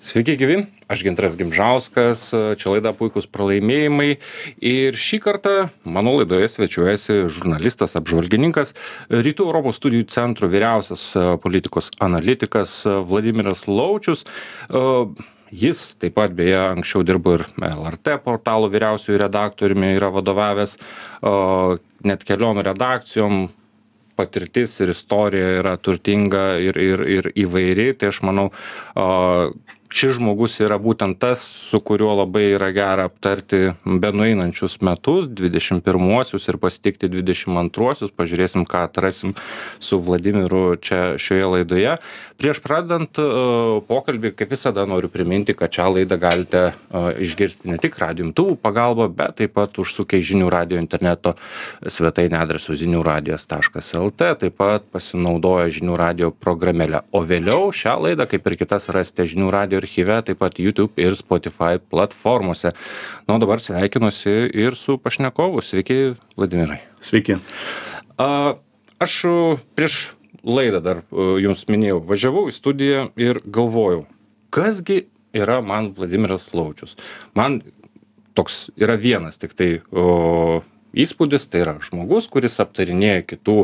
Sveiki gyvi, aš Gintaras Gimžauskas, čia laida Puikūs pralaimėjimai ir šį kartą mano laidoje svečiuojasi žurnalistas, apžvalgininkas, Rytų Europos studijų centro vyriausias politikos analitikas Vladimiras Laučius. Jis taip pat beje anksčiau dirbo ir LRT portalo vyriausiųjų redaktoriumi, yra vadovavęs net keliom redakcijom. Patirtis ir istorija yra turtinga ir įvairi, tai aš manau, šis žmogus yra būtent tas, su kuriuo labai yra gera aptarti benueinančius metus, 21-uosius ir pasitikti 22-uosius, pažiūrėsim, ką atrasim su Vladimiru čia šioje laidoje. Prieš pradedant pokalbį, kaip visada noriu priminti, kad šią laidą galite išgirsti ne tik radijo imtuvų pagalba, bet taip pat užsukę į žinių radijo interneto svetainę adresu žiniųradijas.lt, taip pat pasinaudoja žinių radijo programėlę. O vėliau šią laidą, kaip ir kitas, rasite žinių radijo archyve, taip pat YouTube ir Spotify platformose. Na, dabar sveikinuosi ir su pašnekovu. Sveiki, Vladimirai. Sveiki. Aš prieš laidą dar jums minėjau, važiavau į studiją ir galvojau, kasgi yra man Vladimiras Laučius. Man toks yra vienas tik tai įspūdis, tai yra žmogus, kuris aptarinėja kitų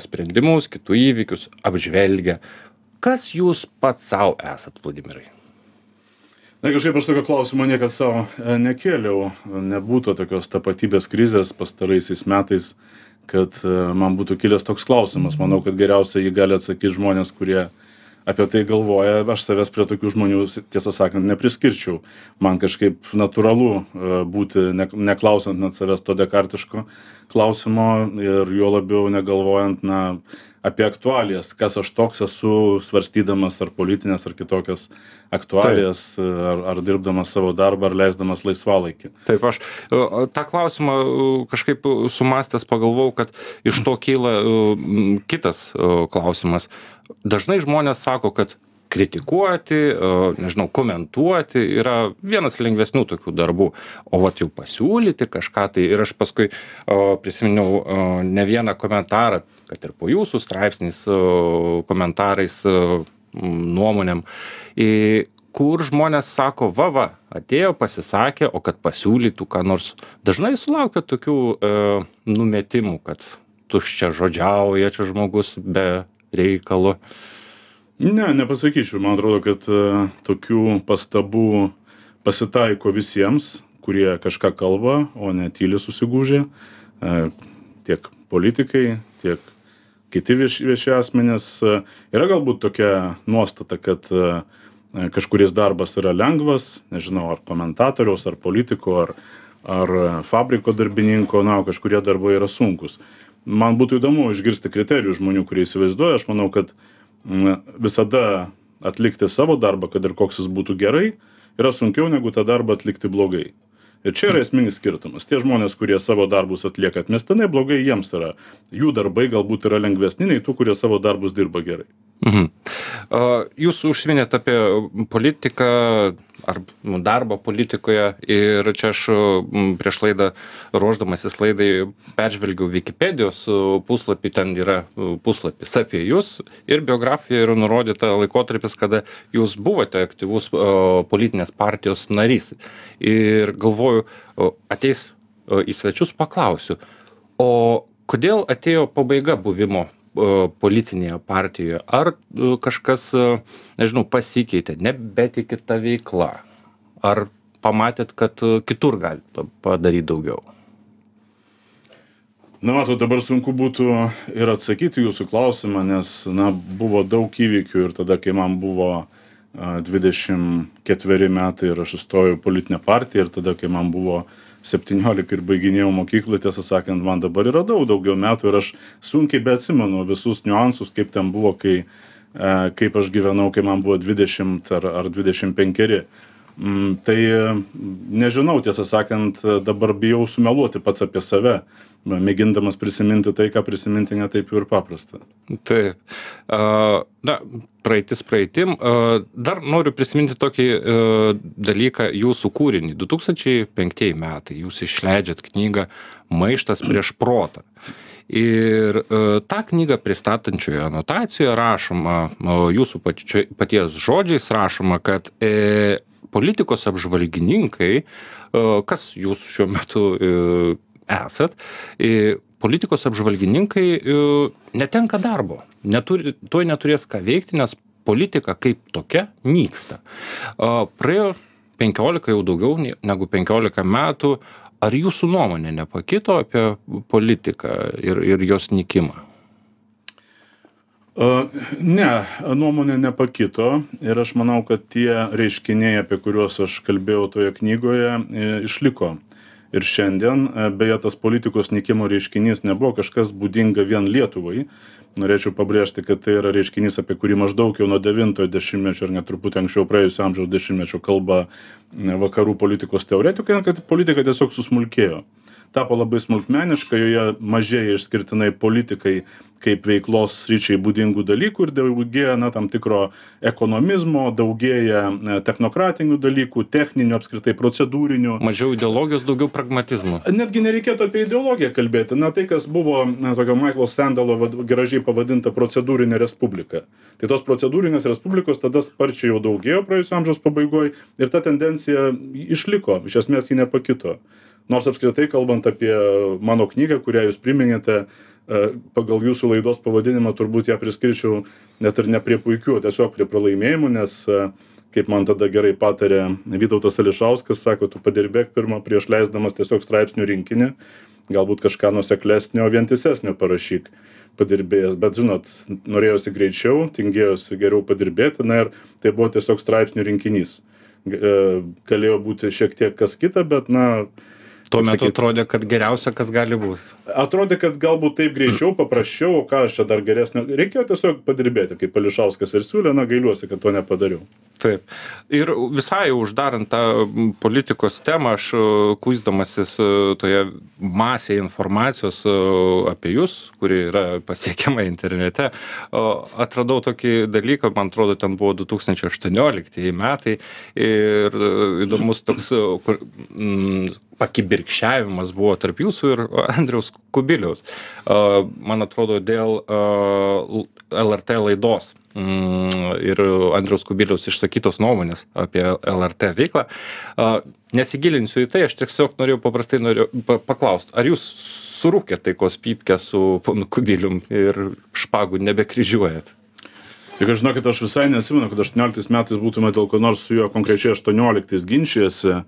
sprendimus, kitų įvykius, apžvelgia. Kas jūs pats savo esat, Vladimirai? Na, kažkaip aš tokio klausimo niekad savo nekėliau. Nebūtų tokios tapatybės krizės pastaraisiais metais, kad man būtų kilęs toks klausimas. Manau, kad geriausiai jį gali atsakyti žmonės, kurie apie tai galvoja. Aš savęs prie tokių žmonių, tiesą sakant, nepriskirčiau. Man kažkaip natūralu būti, neklausant net savęs to dekartiško klausimo ir juo labiau negalvojant, apie aktualijas, kas aš toks esu, svarstydamas ar politinės, ar kitokias aktualijas, ar dirbdamas savo darbą, ar leisdamas laisvalaikį. Taip, aš tą klausimą kažkaip sumastęs pagalvojau, kad iš to kyla kitas klausimas. Dažnai žmonės sako, kad kritikuoti, nežinau, komentuoti yra vienas lengvesnių tokių darbų, o vat jau pasiūlyti kažką tai. Ir aš paskui prisiminiau ne vieną komentarą, kad ir po jūsų straipsniais, komentarais, nuomonėm, kur žmonės sako, atėjo, pasisakė, o kad pasiūlytų ką nors. Dažnai sulaukia tokių numetimų, kad tuščia žodžiauja čia žmogus be reikalo. Ne, nepasakyčiau. Man atrodo, kad tokių pastabų pasitaiko visiems, kurie kažką kalba, o ne tyli susigūžė. Tiek politikai, tiek kiti vieši asmenys. Yra galbūt tokia nuostata, kad kažkuris darbas yra lengvas, nežinau, ar komentatoriaus, ar politiko, ar fabriko darbininko, kažkurie darbai yra sunkus. Man būtų įdomu išgirsti kriterijų žmonių, kurie įsivaizduoja. Aš manau, kad visada atlikti savo darbą, kad ir koks jis būtų gerai, yra sunkiau negu tą darbą atlikti blogai. Ir čia yra esminis skirtumas. Tie žmonės, kurie savo darbus atlieka atmestinai blogai, jiems yra. Jų darbai galbūt yra lengvesni nei tų, kurie savo darbus dirba gerai. Jūs užsiminėt apie politiką ar darbą politikoje ir čia aš prieš laidą, ruošdamasis laidai, peržvelgiau Wikipedijos puslapį, ten yra puslapis apie jūs ir biografijoje yra nurodyta laikotarpis, kada jūs buvote aktyvus politinės partijos narys. Ir galvoju, ateis į svečius, paklausiu, o kodėl atėjo pabaiga buvimo politinėje partijoje? Ar kažkas, nežinau, pasikeitė, nebetikit ta veikla? Ar pamatėt, kad kitur galite padaryti daugiau? Matot, dabar sunku būtų ir atsakyti jūsų klausimą, nes, buvo daug įvykių ir tada, kai man buvo 24 metai ir aš įstojau į politinę partiją ir tada, kai man buvo 17 ir baiginėjau mokyklą, tiesą sakant, man dabar yra daugiau metų ir aš sunkiai beatsimenu visus niuansus, kaip ten buvo, kaip aš gyvenau, kai man buvo 20 ar 25. Tai nežinau, tiesą sakant, dabar bijau sumeluoti pats apie save, mėgindamas prisiminti tai, ką prisiminti netaip ir paprasta. Taip. Praeitis praeitim. Dar noriu prisiminti tokį dalyką, jūsų kūrinį. 2005 metai jūs išleidžiat knygą Maištas prieš protą. Ir tą knygą pristatančioje anotacijoje rašoma, jūsų paties žodžiais rašoma, kad politikos apžvalgininkai, kas jūs šiuo metu esat, politikos apžvalgininkai netenka darbo, tuoj neturės ką veikti, nes politika kaip tokia nyksta. Praėjo 15, jau daugiau negu 15 metų. Ar jūsų nuomonė nepakito apie politiką ir jos nykimą? Ne, nuomonė nepakito ir aš manau, kad tie reiškiniai, apie kuriuos aš kalbėjau toje knygoje, išliko. Ir šiandien, beje, tas politikos nykimo reiškinys nebuvo kažkas būdinga vien Lietuvai. Norėčiau pabrėžti, kad tai yra reiškinys, apie kurį maždaug jau nuo 9-ojo dešimtmečio ar net truputį anksčiau praėjusio amžiaus dešimtmečio kalba vakarų politikos teoretikai, kad politika tiesiog susmulkėjo. Tapo labai smulkmeniška, joje mažėja išskirtinai politikai kaip veiklos sričiai būdingų dalykų ir daugėja tam tikro ekonomizmo, daugėja technokratinių dalykų, techninių, apskritai procedūrinių. Mažiau ideologijos, daugiau pragmatizmo. Netgi nereikėtų apie ideologiją kalbėti. Tai, kas buvo tokio Michaelo Sandalo gražiai pavadinta procedūrinė respublika. Tai tos procedūrinės respublikos tada sparčiai jau daugėjo praėjusio amžiaus pabaigoje ir ta tendencija išliko, iš esmės ji nepakito. Nors apskritai, kalbant apie mano knygą, kurią jūs priminėte, pagal jūsų laidos pavadinimą turbūt ją priskirčiau net ir ne prie puikių, tiesiog prie pralaimėjimų, nes, kaip man tada gerai patarė Vytautas Ališauskas, sako, tu padirbėk pirmą prieš leisdamas tiesiog straipsnių rinkinį, galbūt kažką nuoseklesnio, vientisesnio parašyk padirbėjęs, bet žinot, norėjosi greičiau, tingėjosi geriau padirbėti, ir tai buvo tiesiog straipsnių rinkinys. Galėjo būti šiek tiek kas kita, bet tuo metu atrodė, kad geriausia, kas gali būti. Atrodė, kad galbūt taip greičiau, paprasčiau, ką aš čia dar geresnio. Reikėjo tiesiog padirbėti, kaip Ališauskas ir siūlė, gailiuosi, kad to nepadariau. Taip. Ir visai uždarant tą politikos temą, aš kuisdamasis toje masėje informacijos apie jūs, kuri yra pasiekiama internete, atradau tokį dalyką, man atrodo, ten buvo 2018 metai ir įdomus toks pakibirkščiavimas buvo tarp jūsų ir Andriaus Kubiliaus. Man atrodo, dėl LRT laidos ir Andriaus Kubiliaus išsakytos nuomonės apie LRT veiklą. Nesigilinsiu į tai, aš tiesiog norėjau paklausti, ar jūs surūkėt taikos pypkę su ponu Kubilium ir špagų nebekryžiuojat? Tik žinokit, aš visai nesimenu, kad 18 metais būtume dėl ko nors su juo konkrečiai 18 ginčijasi,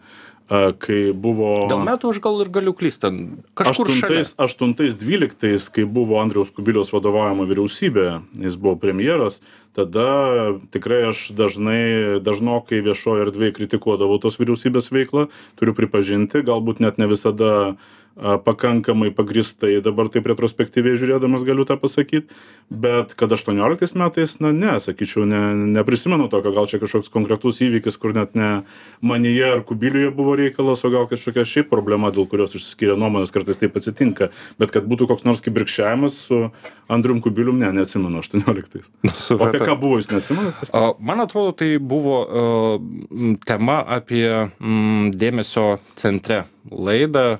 kai buvo... Dėl metų aš gal ir galiu klysti, kažkur šalia. 8-12, kai buvo Andriaus Kubiliaus vadovaujama vyriausybė, jis buvo premjeras, tada tikrai aš dažnokai viešoje erdvėje kritikuodavau tos vyriausybės veiklą, turiu pripažinti, galbūt net ne visada pakankamai pagrįstai, dabar taip retrospektyviai žiūrėdamas galiu tą pasakyti, bet kad 18 metais, sakyčiau, neprisimenu tokio, gal čia kažkoks konkretus įvykis, kur net ne manyje ar Kubiliuje buvo reikalas, o gal kažkokia šiaip problema, dėl kurios išsiskiria nuomonės, kartais taip atsitinka, bet kad būtų koks nors kibirkščiavimas su Andrium Kubilium, neatsimenu 18. O apie ką buvo, jūs neatsimenat? Man atrodo, tai buvo tema apie dėmesio centre laidą,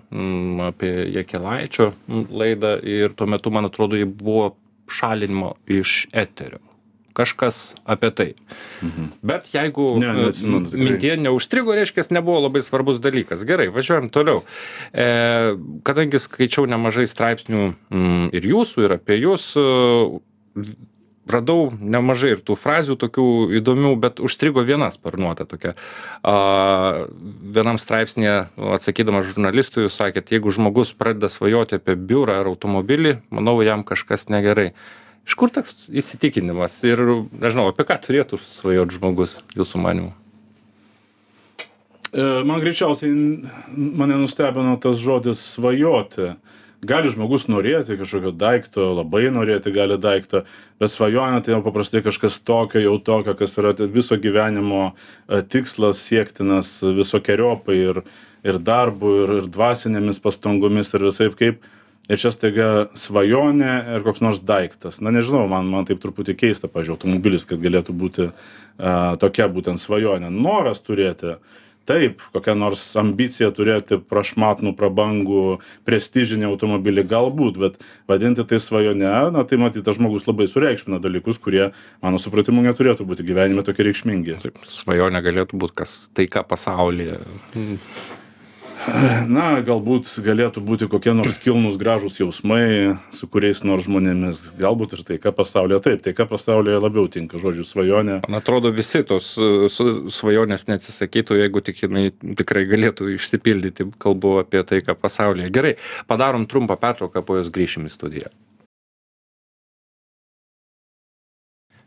apie Jakilaičio laidą ir tuo metu, man atrodo, jį buvo šalinimo iš eterio. Kažkas apie tai. Bet jeigu mintyje neužstrigo, reiškia, nebuvo labai svarbus dalykas. Gerai, važiuojam toliau. Kadangi skaičiau nemažai straipsnių ir jūsų, ir apie jūs, radau nemažai ir tų frazių tokių įdomių, bet užstrigo viena sparnuota tokia. Vienam straipsnėje, atsakydamas žurnalistui, jūs sakėt, jeigu žmogus pradeda svajoti apie biurą ar automobilį, manau, jam kažkas negerai. Iš kur toks įsitikinimas ir, nežinau, apie ką turėtų svajoti žmogus, jūsų manymu? Man greičiausiai mane nustebino tas žodis svajoti. Gali žmogus norėti kažkokio daikto, labai norėti gali daikto, bet svajonė tai jau paprastai kažkas tokio, kas yra viso gyvenimo tikslas siektinas visokiojopai ir darbu, ir dvasinėmis pastangomis, ir visaip kaip. Ir čia staiga svajonė ir koks nors daiktas. Nežinau, man taip truputį keista, pavyzdžiui, automobilis, kad galėtų būti tokia būtent svajonė. Noras turėti, taip, kokia nors ambicija turėti prašmatnų, prabangų, prestižinį automobilį galbūt, bet vadinti tai svajone, na tai matyt, tas žmogus labai sureikšmina dalykus, kurie, mano supratimu, neturėtų būti gyvenime tokie reikšmingi. Taip, svajonė galėtų būti kas taika pasaulyje. Na, galbūt galėtų būti kokie nors kilnūs gražūs jausmai su kuriais nors žmonėmis, galbūt ir taika pasaulyje. Taip, taika pasaulyje labiau tinka žodžiu svajonė. Man atrodo, visi tos svajonės neatsisakytų, jeigu tik jinai tikrai galėtų išsipildyti, kalbu apie taiką pasaulyje. Gerai, padarom trumpą pertrauką, po jos grįšim į studiją.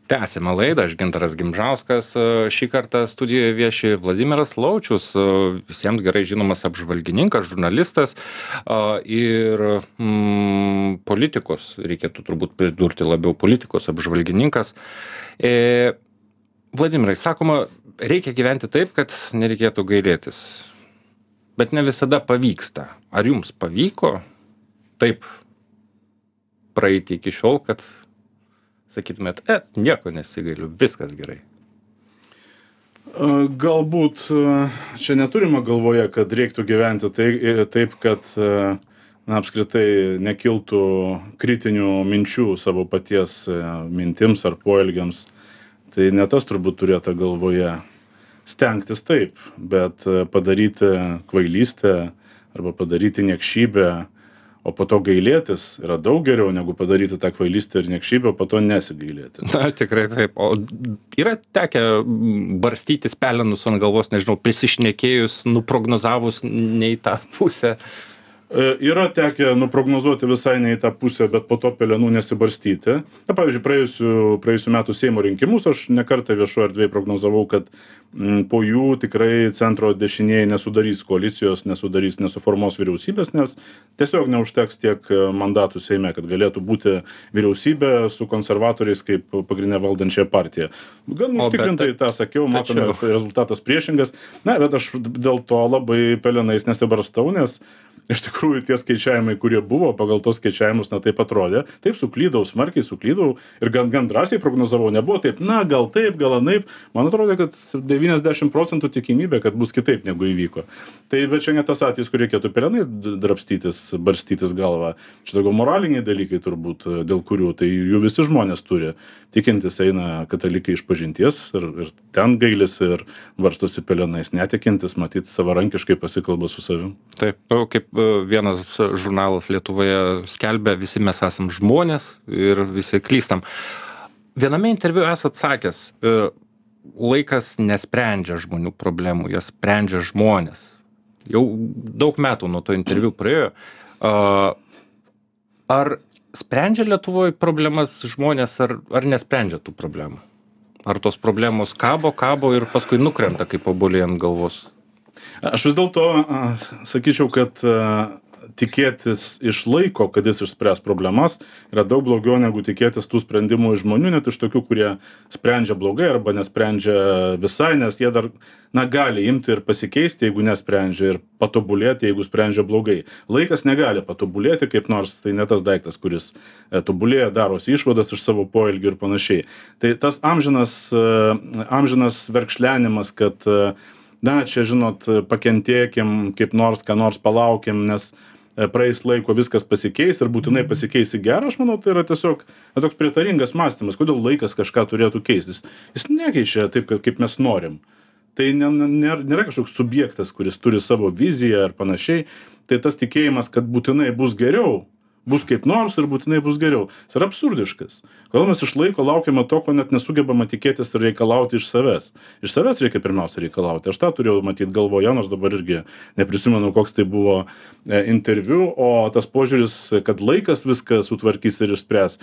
Tęsime laidą, aš Gintaras Gimžauskas, šį kartą studijoje vieši Vladimiras Laučius, visiems gerai žinomas apžvalgininkas, žurnalistas ir politikos, reikėtų turbūt pridurti labiau politikos apžvalgininkas. Vladimirai, sakoma, reikia gyventi taip, kad nereikėtų gailėtis, bet ne visada pavyksta. Ar jums pavyko taip praeiti iki šiol, kad sakytumėt, nieko nesigailiu, viskas gerai? Galbūt čia neturime galvoje, kad reiktų gyventi taip, kad apskritai nekiltų kritinių minčių savo paties mintims ar poelgiams. Tai ne tas turbūt turėta galvoje. Stengtis taip, bet padaryti kvailystę arba padaryti niekšybę, o po to gailėtis yra daug geriau negu padaryti tą kvailystę ir niekšybę, o po to nesigailėti. Na, tikrai taip. O yra tekę barstytis pelenus ant galvos, nežinau, prisišnekėjus, nuprognozavus ne į tą pusę? Yra tekę nuprognozuoti visai ne į tą pusę, bet po to pelenų nesibarstyti. Na, pavyzdžiui, praėjusių metų Seimo rinkimus aš ne kartą viešoje erdvėje prognozavau, kad po jų tikrai centro dešinieji nesudarys koalicijos, nesuformuos vyriausybės, nes tiesiog neužteks tiek mandatų Seime, kad galėtų būti vyriausybė su konservatoriais kaip pagrindinė valdančia partija. Gan užtikrintai tą sakiau, matome, rezultatas priešingas. Na, bet aš dėl to labai pelenais nesibarstau, nes iš tikrųjų tie skaičiavimai, kurie buvo, pagal tos skaičiavimus, na taip atrodė. Taip suklydau, smarkiai suklydau ir gan drąsiai prognozavau. Nebuvo taip, na gal taip, gal anaip. Man atrodė, kad 90% tikimybė, kad bus kitaip negu įvyko. Tai bet čia ne tas atvejis, kur reikėtų pelenais drabstytis, barstytis galvą. Čia daugiau moraliniai dalykai turbūt, dėl kurių tai jų visi žmonės turi. Tikintis eina katalikai išpažinties ir ten gailisi ir barstosi pelenais. Netikintis, matyt, savarankiškai pasikalba su savim. Taip, kaip vienas žurnalas Lietuvoje skelbia, visi mes esam žmonės ir visi klystam. Viename interviu esat sakęs, laikas nesprendžia žmonių problemų, jas sprendžia žmonės. Jau daug metų nuo to interviu praėjo. Ar sprendžia Lietuvoje problemas žmonės, ar nesprendžia tų problemų? Ar tos problemos kabo ir paskui nukrenta kaip obuoliai ant galvos? Aš vis dėlto sakyčiau, kad tikėtis iš laiko, kad jis išspręs problemas, yra daug blogiau negu tikėtis tų sprendimų iš žmonių, net iš tokių, kurie sprendžia blogai arba nesprendžia visai, nes jie dar gali imti ir pasikeisti, jeigu nesprendžia, ir patobulėti, jeigu sprendžia blogai. Laikas negali patobulėti kaip nors, tai ne tas daiktas, kuris tobulėja, darosi išvadas iš savo poelgių ir panašiai. Tai tas amžinas verkšlenimas, kad na, čia, žinot, pakentėkim, kaip nors, ką nors palaukim, nes praeis laiko viskas pasikeis ir būtinai pasikeis į gerą, aš manau, tai yra tiesiog toks prietaringas mąstymas, kodėl laikas kažką turėtų keistis. Jis nekeičia taip, kaip mes norim. Tai nėra kažkoks subjektas, kuris turi savo viziją ar panašiai. Tai tas tikėjimas, kad būtinai bus geriau, bus kaip nors ir būtinai bus geriau. Jis yra absurdiškas. Kodėl mes iš laiko laukiame to, ko net nesugebama tikėtis ir reikalauti iš savęs. Iš savęs reikia pirmiausia reikalauti. Aš tą turėjau matyti galvoje, nors dabar irgi neprisimenu, koks tai buvo interviu, o tas požiūris, kad laikas viską sutvarkys ir išspręs.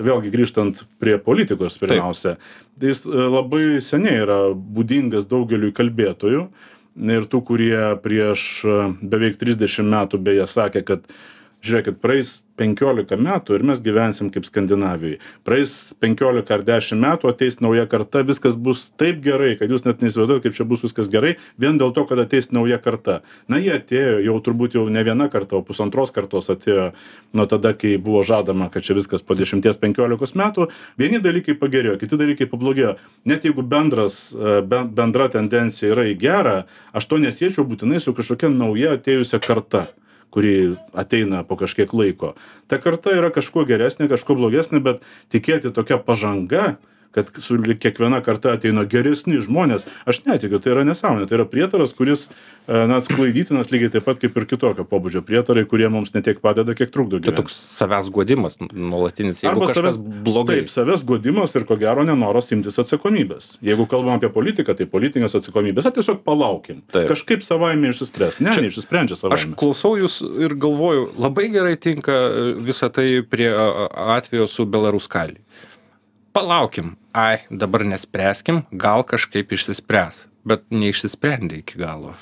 Vėlgi grįžtant prie politikos pirmiausia. Tai jis labai seniai yra būdingas daugeliui kalbėtojų ir tų, kurie prieš beveik 30 metų beje sakė, kad žiūrėkit, praeis 15 metų ir mes gyvensim kaip Skandinavijoj. Praeis 15 ar 10 metų, ateis nauja karta, viskas bus taip gerai, kad jūs net neįsivaizduojate, kaip čia bus viskas gerai, vien dėl to, kad ateis nauja karta. Na, jie atėjo, jau turbūt jau ne viena karta, o pusantros kartos atėjo nuo tada, kai buvo žadama, kad čia viskas po 10-15 metų. Vieni dalykai pagerėjo, kiti dalykai pablogėjo. Net jeigu bendra tendencija yra į gerą, aš to nesiečiau būtinai su kažkokia nauja atėjusia karta, kuri ateina po kažkiek laiko. Ta karta yra kažkuo geresnė, kažkuo blogesnė, bet tikėti tokia pažanga, kad su kiekviena karta ateina geresni žmonės, aš netikiu, tai yra nesąmonė, tai yra prietaras, kuris sklaidytinas lygiai taip pat kaip ir kitokio pobūdžio prietarai, kurie mums ne tiek padeda, kiek trukdo gyventi. Tai toks savęs guodimas nuolatinis, jeigu kažkas blogai. Taip, savęs guodimas ir ko gero nenoras imtis atsakomybės. Jeigu kalbam apie politiką, tai politinės atsakomybės, tiesiog palaukim. Taip. Kažkaip savaime išsispręs. Neišsisprendžia savaime. Aš klausau jūs ir galvoju, labai gerai tinka visą tai prie atvejo su Belaruskali. Palaukim, dabar nespręskim, gal kažkaip išsispręs, bet neišsisprendė iki galo.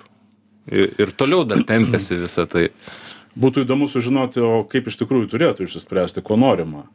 Ir toliau dar tempėsi visą tai. Būtų įdomu sužinoti, o kaip iš tikrųjų turėtų išsispręsti, ko norima.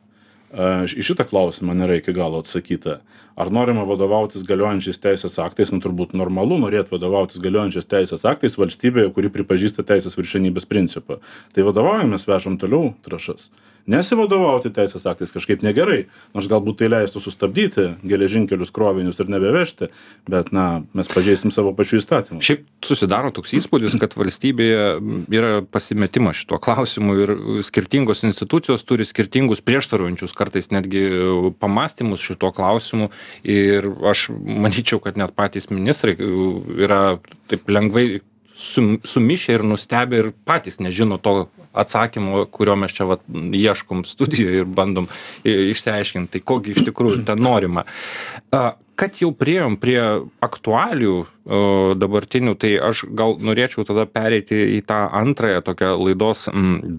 Į šitą klausimą nėra iki galo atsakyta. Ar norima vadovautis galiojančiais teisės aktais, turbūt normalu norėti vadovautis galiojančiais teisės aktais valstybėje, kuri pripažįsta teisės viršenybės principą. Tai vadovaujamės, vežam toliau trąšas. Nesivadovauti teisės aktais kažkaip negerai, nors galbūt tai leistų sustabdyti geležinkelius krovinius ir nebevežti, bet mes pažeisim savo pačių įstatymų. Šiaip susidaro toks įspūdis, kad valstybėje yra pasimetimas šituo klausimu ir skirtingos institucijos turi skirtingus prieštaraujančius kartais netgi pamąstymus šituo klausimu ir aš manyčiau, kad net patys ministrai yra taip lengvai sumišę ir nustebę ir patys nežino to atsakymo, kurio mes čia ieškom studijoje ir bandom išsiaiškinti, tai kogi iš tikrųjų ten norima. Kad jau priėjom prie aktualių dabartinių, tai aš gal norėčiau tada pereiti į tą antrąją tokią laidos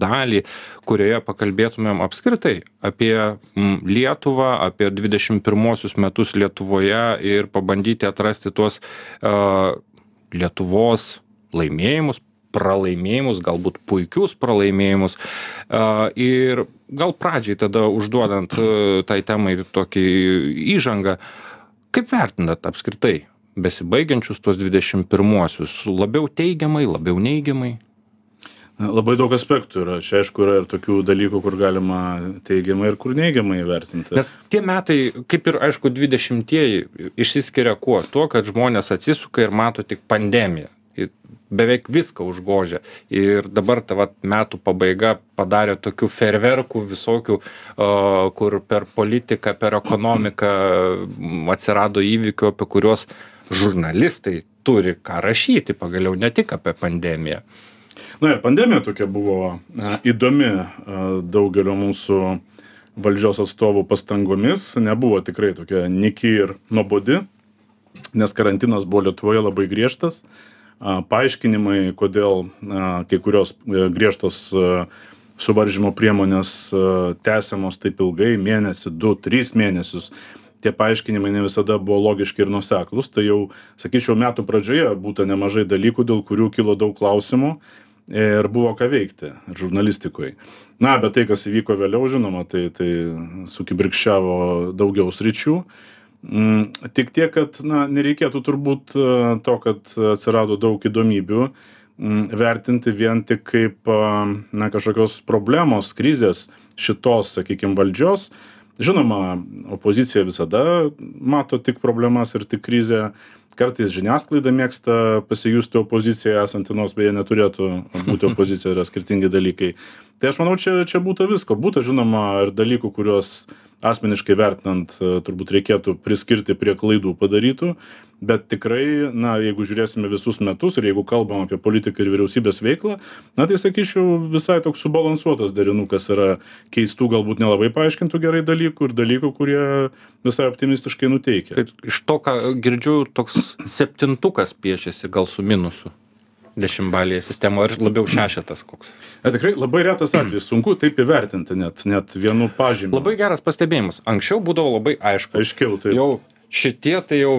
dalį, kurioje pakalbėtumėm apskritai apie Lietuvą, apie 21 metus Lietuvoje ir pabandyti atrasti tuos Lietuvos laimėjimus, pralaimėjimus, galbūt puikius pralaimėjimus. Ir gal pradžiai tada užduodant tai temai tokį įžangą, kaip vertinat apskritai besibaigiančius tuos 21-uosius? Labiau teigiamai, labiau neigiamai? Labai daug aspektų yra. Čia aišku yra ir tokių dalykų, kur galima teigiamai ir kur neigiamai vertinti. Nes tie metai, kaip ir aišku 20-ieji, išsiskiria kuo? Tuo, kad žmonės atsisuka ir mato tik pandemiją. Beveik viską užgožia. Ir dabar ta metų pabaiga padarė tokių ferverkų visokių, kur per politiką, per ekonomiką atsirado įvykių, apie kuriuos žurnalistai turi ką rašyti, pagaliau ne tik apie pandemiją. Na ir pandemija tokia buvo įdomi daugelio mūsų valdžios atstovų pastangomis. Nebuvo tikrai tokia nyki ir nuobodi, nes karantinas buvo Lietuvoje labai griežtas. Paaiškinimai, kodėl kai kurios griežtos suvaržymo priemonės tęsiamos taip ilgai, mėnesį, 2-3 mėnesius. Tie paaiškinimai ne visada buvo logiški ir nuoseklūs. Tai jau, sakyčiau, metų pradžioje būta nemažai dalykų, dėl kurių kilo daug klausimų ir buvo ką veikti žurnalistikoje. Bet tai, kas įvyko vėliau, žinoma, tai sukibirkščiavo daugiau sričių. Tik tiek, kad nereikėtų turbūt to, kad atsirado daug įdomybių, vertinti vien tik kaip kažkokios problemos, krizės šitos, sakykime, valdžios. Žinoma, opozicija visada mato tik problemas ir tik krizę. Kartais žiniasklaida mėgsta pasijusti opoziciją esantį, nors beje neturėtų būti opozicija, yra skirtingi dalykai. Tai aš manau, čia būtų visko. Būtų, žinoma, ir dalykų, kuriuos asmeniškai vertinant turbūt reikėtų priskirti prie klaidų padarytų, bet tikrai, jeigu žiūrėsime visus metus ir jeigu kalbam apie politiką ir vyriausybės veiklą, tai sakyčiau, visai toks subalansuotas derinukas yra keistų, galbūt nelabai paaiškintų gerai dalykų ir dalykų, kurie visai optimistiškai nuteikia. Tai iš to, ką girdžiu, toks 7-tukas piešiasi gal su minusu. 10-balėje sistemoje, ar labiau 6 koks? Tikrai labai retas atvejis, sunku taip įvertinti net vienu pažymiu. Labai geras pastebėjimas. Anksčiau būdavo labai aišku. Aiškiau, taip. Jau šitie tai jau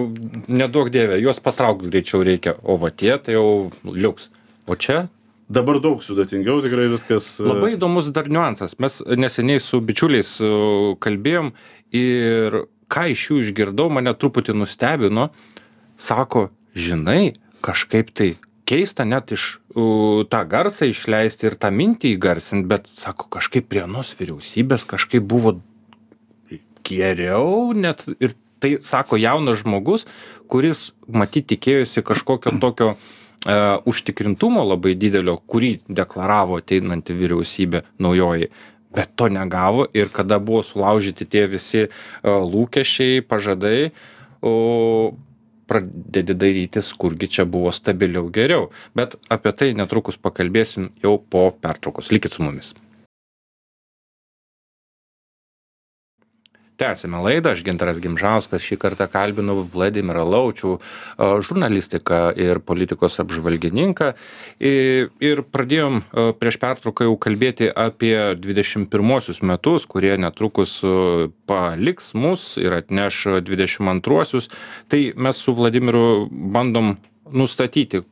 neduok dievė, juos patraukti greičiau reikia, o va tie tai jau liuks. O čia Dabar daug sudėtingiau tikrai viskas. Labai įdomus dar niuansas. Mes neseniai su bičiuliais kalbėjom ir ką iš jų išgirdau, mane truputį nustebino. Sako, žinai, kažkaip tai keista net iš tą garsą išleisti ir tą mintį įgarsinti, bet, sako, kažkaip prie anos vyriausybės kažkaip buvo geriau net. Ir tai, sako, jaunas žmogus, kuris, matyt, tikėjosi kažkokio tokio užtikrintumo labai didelio, kurį deklaravo ateinanti vyriausybė naujoji. Bet to negavo ir kada buvo sulaužyti tie visi lūkesčiai, pažadai, pradedi dairytis, kurgi čia buvo stabiliau geriau. Bet apie tai netrukus pakalbėsim jau po pertraukos. Likit su mumis. Tęsime laidą, aš Gintaras Gimžauskas, šį kartą kalbinu Vladimirą Laučių, žurnalistiką ir politikos apžvalgininką. Ir pradėjom prieš pertrauką jau kalbėti apie 21 metus, kurie netrukus paliks mus ir atneš 22. Tai mes su Vladimiru bandom nustatyti,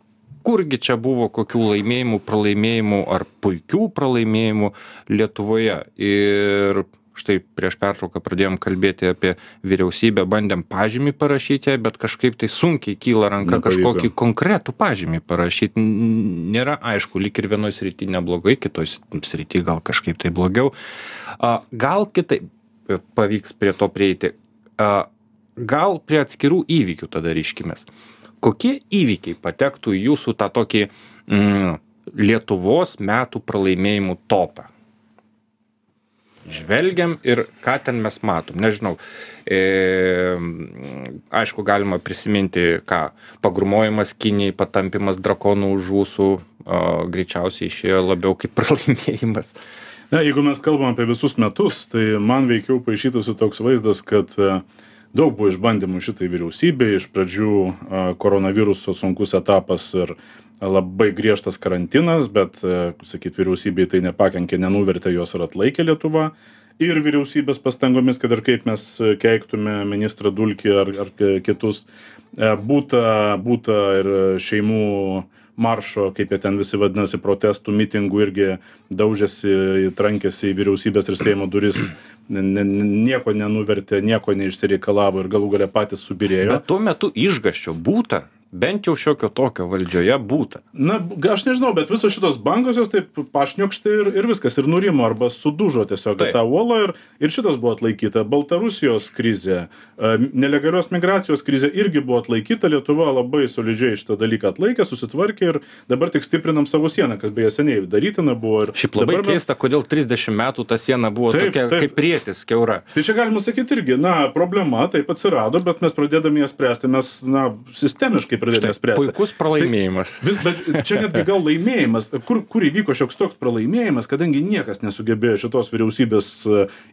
kurgi čia buvo kokių laimėjimų, pralaimėjimų ar puikių pralaimėjimų Lietuvoje. Ir štai prieš pertrauką pradėjom kalbėti apie vyriausybę, bandėm pažymį parašyti, bet kažkaip tai sunkiai kyla ranka kažkokį konkretų pažymį parašyti. Nėra aišku, lyg ir vienoj srity neblogai, kitoj srity gal kažkaip tai blogiau. Gal kitaip pavyks prie to prieiti. Gal prie atskirų įvykių tada ryškimės. Kokie įvykiai patektų į jūsų tą tokį Lietuvos metų pralaimėjimų topą? Žvelgiam ir ką ten mes matom. Nežinau, aišku, galima prisiminti, pagrūmojimas Kinijai, patampimas drakonų už ūsų, greičiausiai išėjo labiau kaip pralaimėjimas. Na, jeigu mes kalbam apie visus metus, tai man veikiau paišytųsi toks vaizdas, kad daug buvo išbandymų šitai vyriausybei, iš pradžių koronaviruso sunkus etapas ir labai griežtas karantinas, bet, sakyt, vyriausybei tai nepakenkė, nenuvertė, jos ir atlaikė Lietuva. Ir vyriausybės pastangomis, kad ir kaip mes keiktume ministrą Dulkį ar kitus, būta ir šeimų maršo, kaip jie ten visi vadinasi, protestų, mitingų irgi daužėsi, trankėsi į vyriausybės ir Seimo duris, nieko nenuvertė, nieko neišsireikalavo ir galų gale patys subyrėjo. Bet tuo metu išgąsčio būta. Bent jau šiokio tokio valdžioje būta. Na, aš nežinau, bet visos šitos bangos jos taip pašniokšti ir viskas, ir nurimo, arba sudužo tiesiog tą uolą ir šitas buvo atlaikyta. Baltarusijos krizė, nelegalios migracijos krizė irgi buvo atlaikyta, Lietuva labai solidžiai šitą dalyką atlaikė, susitvarkė ir dabar tik stiprinam savo sieną, kas beje seniai darytina buvo. Šiaip labai keista, kodėl 30 metų ta siena buvo tokia kaip prietis, kiaura. Tai čia galima sakyti irgi, problema taip atsirado, bet mes pradėdami ją spręsti, mes, sistemiškai pradėti spręsti. Puikus pralaimėjimas. Bet čia netgi gal laimėjimas, kur įvyko šioks toks pralaimėjimas, kadangi niekas nesugebėjo šitos vyriausybės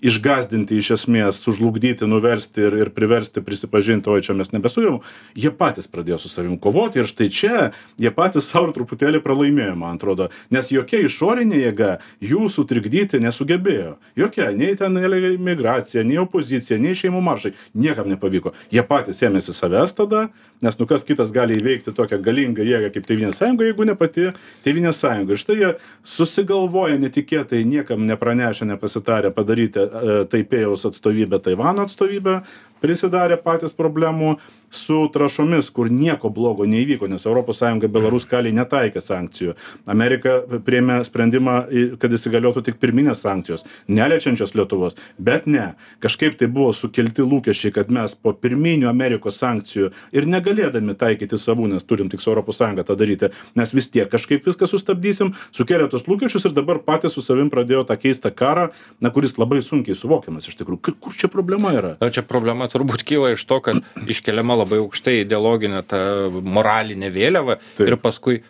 išgazdinti iš esmės, sužlugdyti, nuversti ir priversti prisipažinti, oi čia mes nebesugebėjom, jie patys pradėjo su savim kovoti ir štai čia jie patys savo truputėlį pralaimėjo, man atrodo, nes jokia išorinė jėga jų sutrikdyti nesugebėjo. Jokia, nei ten migracija, nei opozicija, nei šeimų maršai, niekam nepavyko. Jie patys ėmėsi savęs tada, nes kas kitas gali įveikti tokią galingą jėgą kaip Tėvynės sąjunga, jeigu ne pati Tėvynės sąjunga. Ir štai jie susigalvoja netikėtai, niekam nepranešę, nepasitarę padaryti Taipėjaus atstovybę, Taivano atstovybę, prisidarė patys problemų su trąšomis, kur nieko blogo neįvyko, nes ES Belaruskalei netaikė sankcijų. Amerika priėmė sprendimą, kad įsigaliotų tik pirminės sankcijos, neliečiančios Lietuvos. Bet ne, kažkaip tai buvo sukelti lūkesčiai, kad mes po pirminių Amerikos sankcijų ir negalėdami taikyti savų, nes turim tik su ES tą daryti, mes vis tiek kažkaip viską sustabdysim, sukėlė tos lūkesčius ir dabar patys su savim pradėjo tą keistą karą, kuris labai sunkiai suvokiamas iš tikrųjų. Kur čia problema yra? Čia problema turbūt kyla iš to, kad iškeliama labai aukštai ideologinė ta moralinė vėliava. Taip. Ir paskui,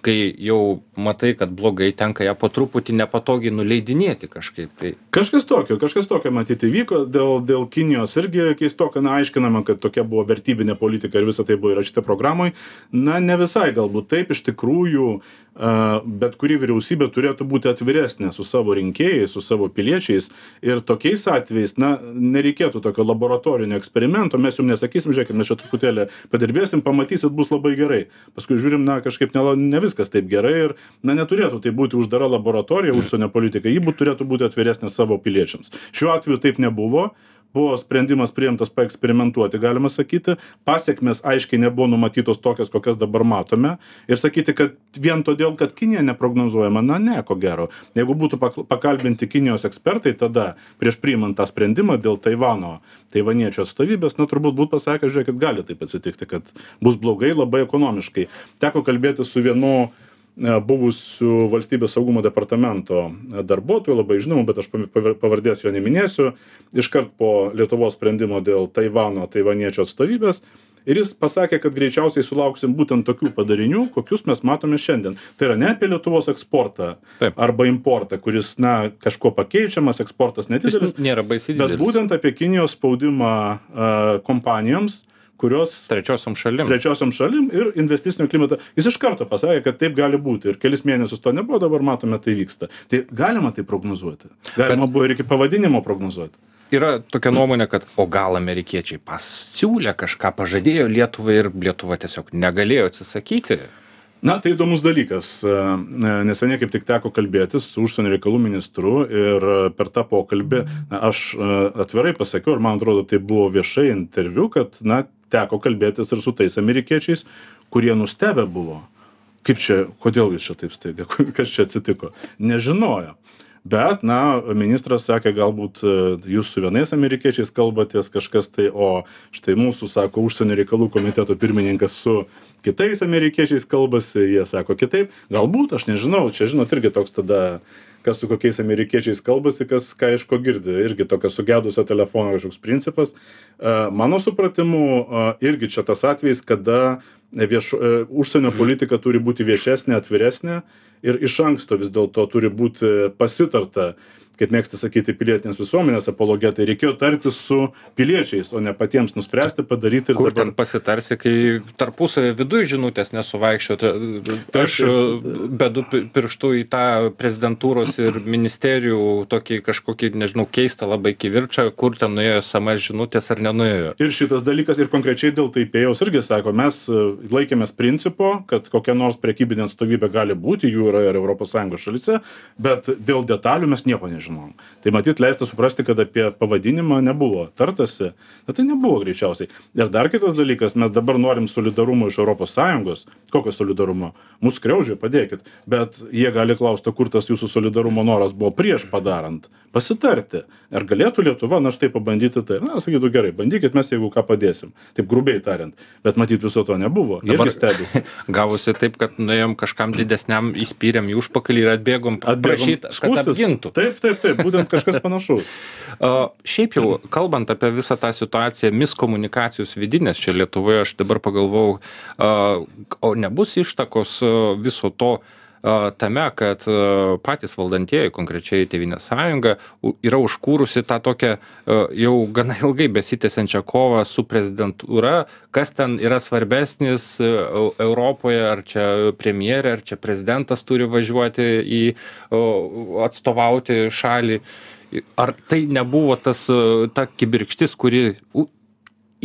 kai jau matai, kad blogai, tenka ją po truputį nepatogiai nuleidinėti kažkaip. Tai Kažkas tokio matyti vyko, dėl Kinijos irgi keistokai aiškinama, kad tokia buvo vertybinė politika ir visa tai buvo įrašyta programoj. Ne visai galbūt taip, iš tikrųjų bet kuri vyriausybė turėtų būti atviresnė su savo rinkėjais, su savo piliečiais ir tokiais atvejais, nereikėtų tokio laboratorinio eksperimento, mes jums nesakysim, žiūrėkit, mes čia truputėlį padirbėsim, pamatysit, bus labai gerai. Paskui žiūrim, kažkaip ne viskas taip gerai ir, neturėtų tai būti uždara laboratorija, užsienio politika, ji turėtų būti atviresnė savo piliečiams. Šiuo atveju taip nebuvo. Buvo sprendimas priimtas paeksperimentuoti, galima sakyti, pasiekmes aiškiai nebuvo numatytos tokias, kokias dabar matome ir sakyti, kad vien todėl, kad Kinija neprognozuojama, ne, ko gero. Jeigu būtų pakalbinti Kinijos ekspertai tada, prieš priimant tą sprendimą dėl taivaniečių atstovybės, turbūt būtų pasakę, žiūrėkit, gali taip atsitikti, kad bus blogai labai ekonomiškai. Teko kalbėti su vienu buvusių valstybės saugumo departamento darbuotojų, labai žinoma, bet aš pavardės jo neminėsiu, iškart po Lietuvos sprendimo dėl taivaniečių atstovybės. Ir jis pasakė, kad greičiausiai sulauksim būtent tokių padarinių, kokius mes matome šiandien. Tai yra ne apie Lietuvos eksportą arba importą, kuris, kažko pakeičiamas, eksportas nedidelis, nėra baisiai didelis, bet būtent apie Kinijos spaudimą kompanijoms, kurios trečiosiom šalim ir investicinio klimato. Jis iš karto pasakė, kad taip gali būti ir kelis mėnesius to nebuvo, dabar matome, tai vyksta. Tai galima tai prognozuoti. Galima buvo ir iki pavadinimo prognozuoti. Yra tokia nuomonė, kad o gal amerikiečiai pasiūlė kažką, pažadėjo Lietuvai ir Lietuva tiesiog negalėjo atsisakyti. Tai įdomus dalykas. Neseniai kaip tik teko kalbėtis su užsienio reikalų ministru ir per tą pokalbį aš atvirai pasakiau, ir man atrodo, tai buvo viešai interviu, kad teko kalbėtis ir su tais amerikiečiais, kurie nustebę buvo. Kaip čia, kodėl jūs čia taip staiga, kas čia atsitiko? Nežinojo. Bet, ministras sakė, galbūt jūs su vienais amerikiečiais kalbatės kažkas tai, o štai mūsų, sako, užsienio reikalų komiteto pirmininkas su kitais amerikiečiais kalbasi, jie sako kitaip. Galbūt, aš nežinau, čia žinot irgi toks tada, kas su kokiais amerikiečiais kalbasi, kas ką iš ko girdi. Irgi tokio sugedusio telefono kažkoks principas. Mano supratimu, irgi čia tas atvejis, kada užsienio politika turi būti viešesnė, atviresnė ir iš anksto vis dėlto turi būti pasitarta, kaip mėgsta sakyti pilietinės visuomenės apologetai, reikėjo tartis su piliečiais, o ne patiems nuspręsti, padaryti. Kur ten pasitarsi, kai tarpusavį viduje žinutės nesuvaikščioti. Aš bedu pirštų į tą prezidentūros ir ministerijų tokį kažkokį, nežinau, keistą labai kivirčą, kur ten nuėjo SMS žinutės ar nenuėjo. Ir šitas dalykas, ir konkrečiai dėl Taipėjaus irgi sako, mes laikėmės principo, kad kokia nors prekybinė atstovybė gali būti, jų yra ir ES šalyse, bet dėl detalių mes nieko nežinom. Tai matyt leista suprasti, kad apie pavadinimą nebuvo tartasi, tai nebuvo greičiausiai. Ir dar kitas dalykas, mes dabar norim solidarumo iš ES. Kokio solidarumo? Mūsų skriaudžia, padėkit. Bet jie gali klausti, kur tas jūsų solidarumo noras buvo prieš padarant. Pasitarti. Ar galėtų Lietuva, štai pabandyti tai? Sakytų, gerai, bandykit, mes jeigu ką padėsim. Taip grubiai tariant. Bet matyt viso to nebuvo. Dabar stebisi. Gavosi taip, kad nuėjom kažkam didesniam, įspyrėm į užpakalį ir atbėgom prašyti, kad apgintų. Taip, būtent kažkas panašaus. Šiaip jau, kalbant apie visą tą situaciją, miskomunikacijos vidinės čia Lietuvoje, aš dabar pagalvojau, o nebus ištakos viso to tame, kad patys valdantieji, konkrečiai Tėvynės sąjunga, yra užkūrusi tą tokią jau gana ilgai besitęsiančią kovą su prezidentūra, kas ten yra svarbesnis Europoje, ar čia premjerė, ar čia prezidentas turi važiuoti atstovauti šalį. Ar tai nebuvo ta kibirkštis, kuri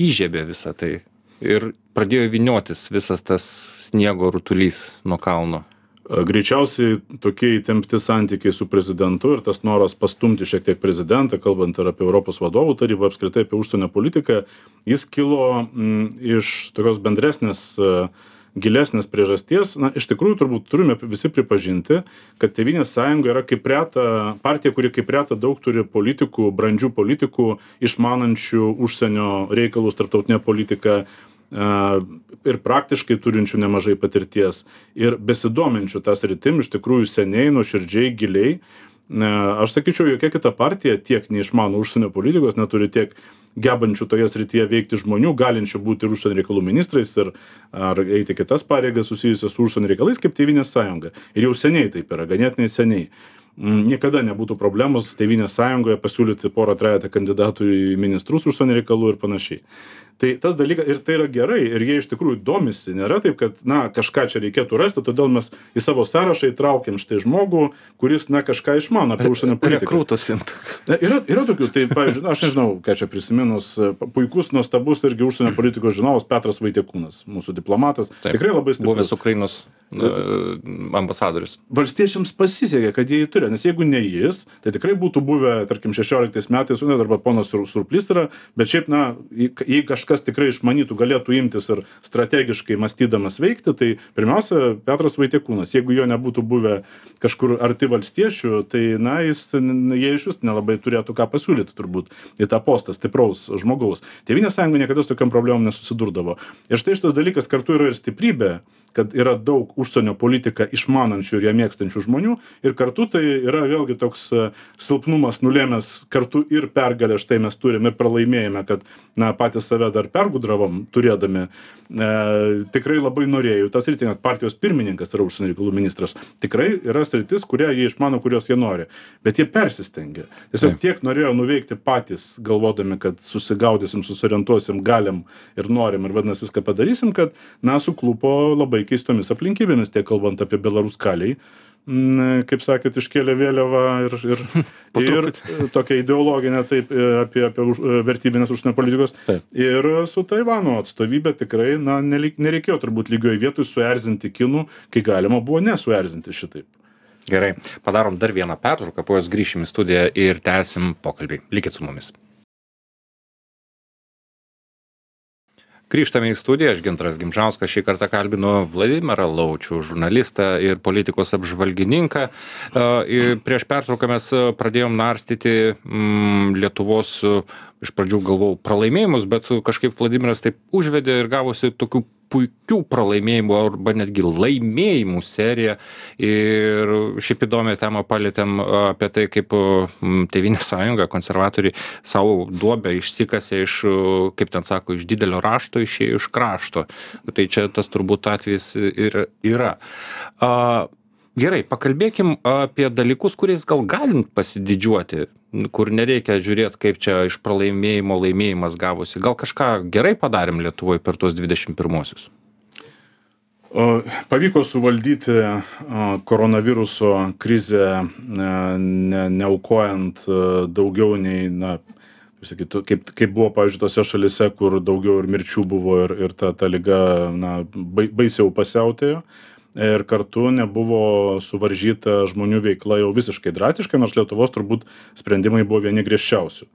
įžiebė visą tai ir pradėjo vyniotis visas tas sniego rutulys nuo kalno? Greičiausiai tokie įtempti santykiai su prezidentu ir tas noras pastumti šiek tiek prezidentą, kalbant ir apie Europos vadovų tarybą, apskritai apie užsienio politiką, jis kilo iš tokios bendresnės, gilesnės priežasties. Iš tikrųjų, turbūt turime visi pripažinti, kad Tėvynės sąjunga yra kaip reta partija, kuri kaip reta daug turi politikų, brandžių politikų, išmanančių užsienio reikalus, tarptautinę politiką, ir praktiškai turinčių nemažai patirties ir besidominčių tą sritim iš tikrųjų seniai, nuoširdžiai, giliai. Aš sakyčiau, jokia kita partija tiek neišmano užsienio politikos, neturi tiek gebančių toje srityje veikti žmonių, galinčių būti ir užsienio reikalų ministrais ar eiti kitas pareigas susijusias su užsienio reikalais kaip Tėvynės sąjunga. Ir jau seniai taip yra, ganėtinai seniai. Niekada nebūtų problemos Tėvynės sąjungoje pasiūlyti porą trejetą kandidatų į ministrus užsienio reikalų ir panašiai. Tai tas dalykas ir tai yra gerai ir jie iš tikrųjų domisi. Nėra taip, kad, na, kažką čia reikėtų rasti, todėl mes į savo sąrašą įtraukiam štai žmogų, kuris, na, kažką išmano apie užsienio politiką. Rekrūtos imtų. Yra tokių, tai, pavyzdžiui, aš nežinau, ką čia prisiminus, puikus, nuostabus irgi užsienio politikos žinovas Petras Vaitiekūnas, mūsų diplomatas. Taip, tikrai labai stiprus. Buvęs Ukrainos ambasadorius. Valstiečiams pasisekė, kad jie jį turi, nes jeigu ne jis, tai tikrai būtų buvę, tarkim, 16 metais, arba ponas Surplys yra, bet šiaip, na, jei kažkas tikrai išmanytų, galėtų imtis ir strategiškai mąstydamas veikti, tai pirmiausia, Petras Vaitiekūnas. Jeigu jo nebūtų buvę kažkur arti valstiečių, tai, na, jie iš vis nelabai turėtų ką pasiūlyti turbūt į tą postą stipraus žmogaus. Tėvynės sąjunga niekada su tokiam problemom nesusidurdavo. Ir štai šitas dalykas kartu yra ir stiprybė, kad yra daug užsienio politiką išmanančių ir ją mėgstančių žmonių ir kartu tai yra vėlgi toks silpnumas nulėmęs kartu ir pergalę štai mes turime ir pralaimėjime, kad, na, patys save dar pergudravom turėdami. Tikrai labai norėjau. Tas sritis, net partijos pirmininkas yra užsienio reikalų ministras. Tikrai yra sritis, kurią jie išmano, kurios jie nori. Bet jie persistengia. Tiesiog tiek norėjo nuveikti patys, galvodami, kad susigaudysim, susorientuosim, galim ir norim ir vadinasi viską padarysim, kad, na, suklupo labai keistomis aplinkybėmis, tiek kalbant apie Belaruskaliai, kaip sakėt, iškėlė vėliavą ir tokia ideologinė taip apie vertybinės užsienio politikos. Taip. Ir su Taivano atstovybė tikrai, na, nereikėjo turbūt lygioj vietoj suerzinti kinų, kai galima buvo nesuerzinti šitaip. Gerai, padarom dar vieną pertrauką, po jos grįšim į studiją ir tęsim pokalbį. Likit su mumis. Grįžtame į studiją, aš Gintaras Gimžauskas, šį kartą kalbinu Vladimirą Laučių, žurnalistą ir politikos apžvalgininką. Prieš pertrauką mes pradėjom narstyti Lietuvos, iš pradžių galvojau, pralaimėjimus, bet kažkaip Vladimiras taip užvedė ir gavosi tokių puikių pralaimėjimų arba netgi laimėjimų seriją. Ir šiaip įdomią temą palietėm apie tai, kaip Tėvynės sąjunga, konservatoriai savo duobę išsikasė iš, kaip ten sako, iš didelio rašto, išėjo iš krašto. Tai čia tas turbūt atvejis ir yra. Gerai, pakalbėkim apie dalykus, kuriais gal galim pasididžiuoti, kur nereikia žiūrėti, kaip čia iš pralaimėjimo laimėjimas gavosi. Gal kažką gerai padarėm Lietuvoje per tuos 21-osius? Pavyko suvaldyti koronaviruso krizę, neaukojant daugiau nei, na, kaip buvo, pavyzdžiui, tose šalise, kur daugiau ir mirčių buvo ir ta liga, na, baisiau pasiautėjo. Ir kartu nebuvo suvaržyta žmonių veikla jau visiškai drastiškai, nors Lietuvos turbūt sprendimai buvo vieni griežčiausių.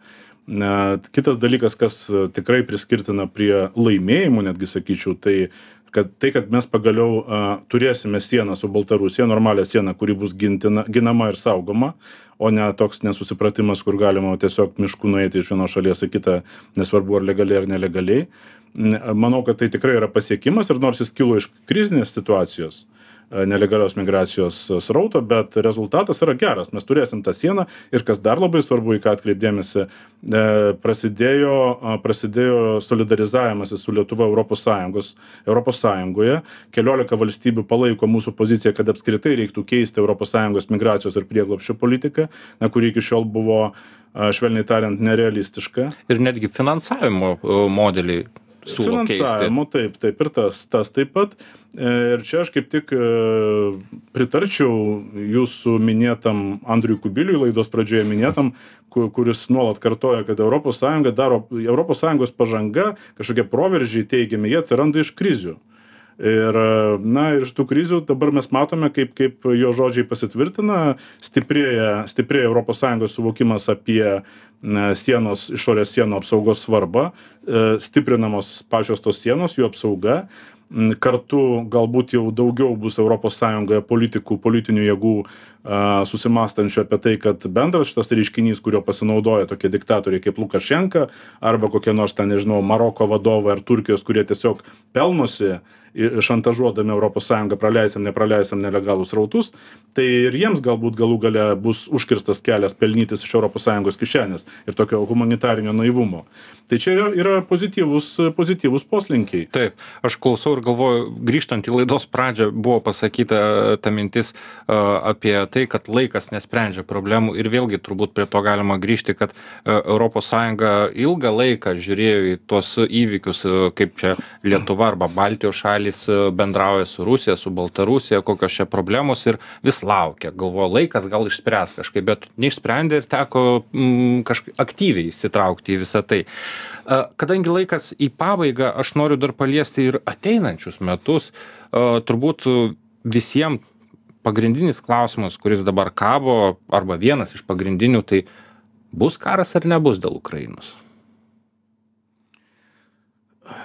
Kitas dalykas, kas tikrai priskirtina prie laimėjimų, netgi sakyčiau, tai kad mes pagaliau turėsime sieną su Baltarusija, normalią sieną, kuri bus ginama ir saugoma, o ne toks nesusipratimas, kur galima tiesiog mišku nueiti iš vienos šalies į kitą, nesvarbu ar legaliai ar nelegaliai. Manau, kad tai tikrai yra pasiekimas ir nors jis kilo iš krizinės situacijos, nelegalios migracijos srauto, bet rezultatas yra geras. Mes turėsim tą sieną ir kas dar labai svarbu, į ką atkreipdėmėsi, prasidėjo solidarizavimasis su Lietuva Europos Sąjungoje. 14 valstybių palaiko mūsų poziciją, kad apskritai reiktų keisti Europos Sąjungos migracijos ir prieglobsčio politiką, kuri iki šiol buvo, švelniai tariant, nerealistiška. Ir netgi finansavimo modeliai siūlo keisti. Finansavimo, taip, ir tas taip pat. Ir čia aš kaip tik pritarčiau jūsų minėtam Andriui Kubiliui, laidos pradžioje minėtam, kuris nuolat kartoja, kad Europos Sąjungos pažanga, kažkokie proveržiai teigiami, jie atsiranda iš krizių. Ir, na, ir iš tų krizių dabar mes matome, kaip jo žodžiai pasitvirtina, stiprėja Europos Sąjungos suvokimas apie išorės sienų apsaugos svarbą, stiprinamos pačios tos sienos, jų apsauga. Kartu galbūt jau daugiau bus Europos Sąjungoje politinių jėgų susimastančių apie tai, kad bendras šitas reiškinys, kurio pasinaudoja tokie diktatoriai kaip Lukašenka arba kokie nors ten, nežinau, Maroko vadovai ar Turkijos, kurie tiesiog pelnosi šantažuodami ES nepraleisim nelegalus srautus, tai ir jiems galbūt galų gale bus užkirstas kelias pelnytis iš ES kišenės ir tokio humanitarinio naivumo. Tai čia yra pozityvūs poslinkiai. Taip, aš klausau ir galvoju, grįžtant į laidos pradžią, buvo pasakyta ta mintis apie tai, kad laikas nesprendžia problemų ir vėlgi turbūt prie to galima grįžti, kad ES ilgą laiką žiūrėjo į tuos įvykius, kaip čia Lietuva arba Baltijos šalys bendrauja su Rusija, su Baltarusija, kokios čia problemos ir vis laukia, galvoja, laikas gal išspręs kažkaip, bet neišsprendė ir teko kažkaip aktyviai įsitraukti į visą tai. Kadangi laikas į pabaigą, aš noriu dar paliesti ir ateinančius metus, turbūt visiems pagrindinis klausimas, kuris dabar kabo, arba vienas iš pagrindinių, tai bus karas ar nebus dėl Ukrainos?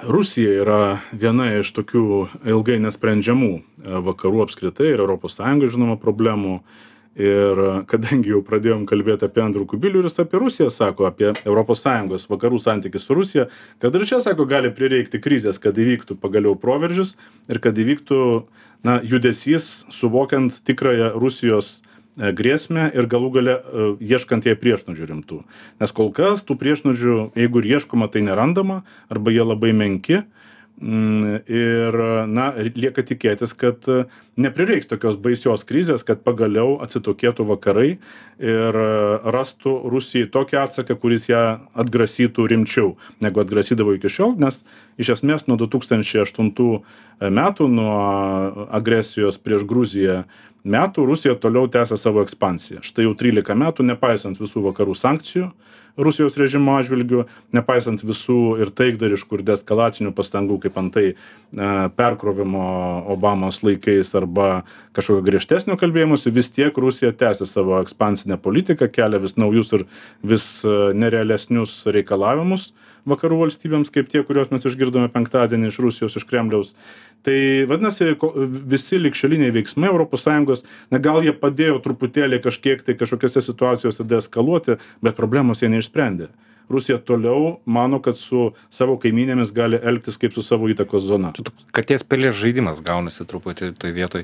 Rusija yra viena iš tokių ilgai nesprendžiamų vakarų apskritai ir ES žinoma problemų. Ir kadangi jau pradėjom kalbėti apie Andrių Kubilių ir jis apie Rusiją sako, apie ES vakarų santykį su Rusija, kad ir čia, sako, gali prireikti krizės, kad įvyktų pagaliau proveržis ir kad įvyktų judesys, suvokiant tikrąją Rusijos grėsmę ir galų gale ieškant jai priešnuodžių rimtų. Nes kol kas tų priešnuodžių, jeigu ir ieškoma, tai nerandama, arba jie labai menki. Ir, lieka tikėtis, kad neprireiks tokios baisios krizės, kad pagaliau atsitokėtų vakarai ir rastų Rusijai tokį atsaką, kuris ją atgrasytų rimčiau, negu atgrasydavo iki šiol, nes iš esmės nuo 2008 metų, nuo agresijos prieš Gruziją metų, Rusija toliau tęsia savo ekspansiją. Štai jau 13 metų, nepaisant visų vakarų sankcijų Rusijos režimo atžvilgiu, nepaisant visų ir taikdariškų ir deeskalacinių pastangų, kaip antai perkrovimo Obamos laikais arba kažkokio griežtesnio kalbėjimuose, vis tiek Rusija tęsia savo ekspansinę politiką, kelia vis naujus ir vis nerealesnius reikalavimus vakarų valstybėms, kaip tie, kuriuos mes išgirdome penktadienį iš Rusijos, iš Kremliaus. Tai vadinasi, visi ligšioliniai veiksmai ES, gal jie padėjo truputėlį kažkokiose situacijose deeskaluoti, bet problemos jie neišsprendė. Rusija toliau mano, kad su savo kaimynėmis gali elgtis kaip su savo įtakos zona. Katės pelės žaidimas gaunasi truputį toj vietoj.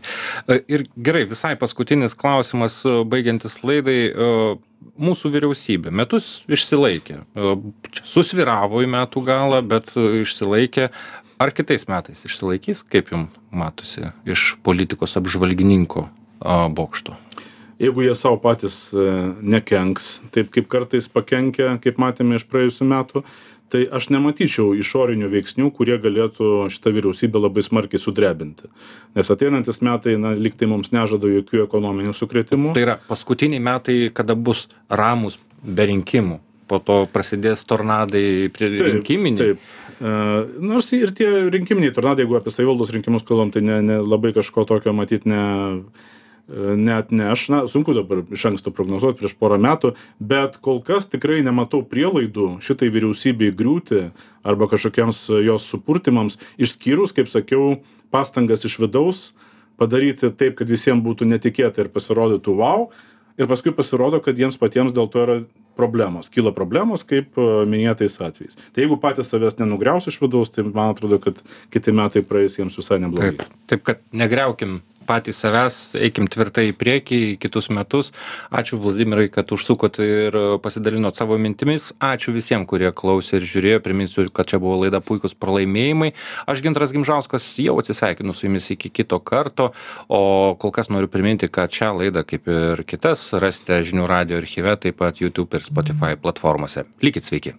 Ir gerai, visai paskutinis klausimas, baigiantis laidai. Mūsų vyriausybė metus išsilaikė. Susvyravo į metų galą, bet išsilaikė. Ar kitais metais išsilaikys, kaip jums matosi, iš politikos apžvalgininko bokšto? Jeigu jie savo patys nekenks, taip kaip kartais pakenkia, kaip matėme iš praėjusių metų, tai aš nematyčiau išorinių veiksnių, kurie galėtų šitą vyriausybę labai smarkiai sudrebinti. Nes ateinantis metai, lyg tai mums nežada jokių ekonominių sukrėtimų. Tai yra paskutiniai metai, kada bus ramus be rinkimų. Po to prasidės tornadai rinkiminiai. Taip. Nors ir tie rinkiminiai tornadai, jeigu apie savivaldos rinkimus kalbam, tai ne labai kažko tokio matyti neatneš. Sunku dabar iš anksto prognozuoti prieš porą metų, bet kol kas tikrai nematau prielaidų šitai vyriausybei griūti arba kažkokiems jos supurtimams, išskyrus, kaip sakiau, pastangas iš vidaus padaryti taip, kad visiems būtų netikėta ir pasirodytų wow, ir paskui pasirodo, kad jiems patiems dėl to yra problemos. Kyla problemos, kaip minėtais atvejais. Tai jeigu patys savęs nenugriaus iš vidaus, tai man atrodo, kad kiti metai praeis jiems visai neblogai. Taip, kad negriaukim patys savęs, eikim tvirtai į priekį į kitus metus. Ačiū Vladimirai, kad užsukot ir pasidalinot savo mintimis. Ačiū visiems, kurie klausė ir žiūrėjo. Priminsiu, kad čia buvo laida Puikūs pralaimėjimai. Aš Gintaras Gimžauskas jau atsisveikinu su jumis iki kito karto, o kol kas noriu priminti, kad šią laidą, kaip ir kitas, rasite Žinių radijo archyve, taip pat YouTube ir Spotify platformose. Likit sveiki.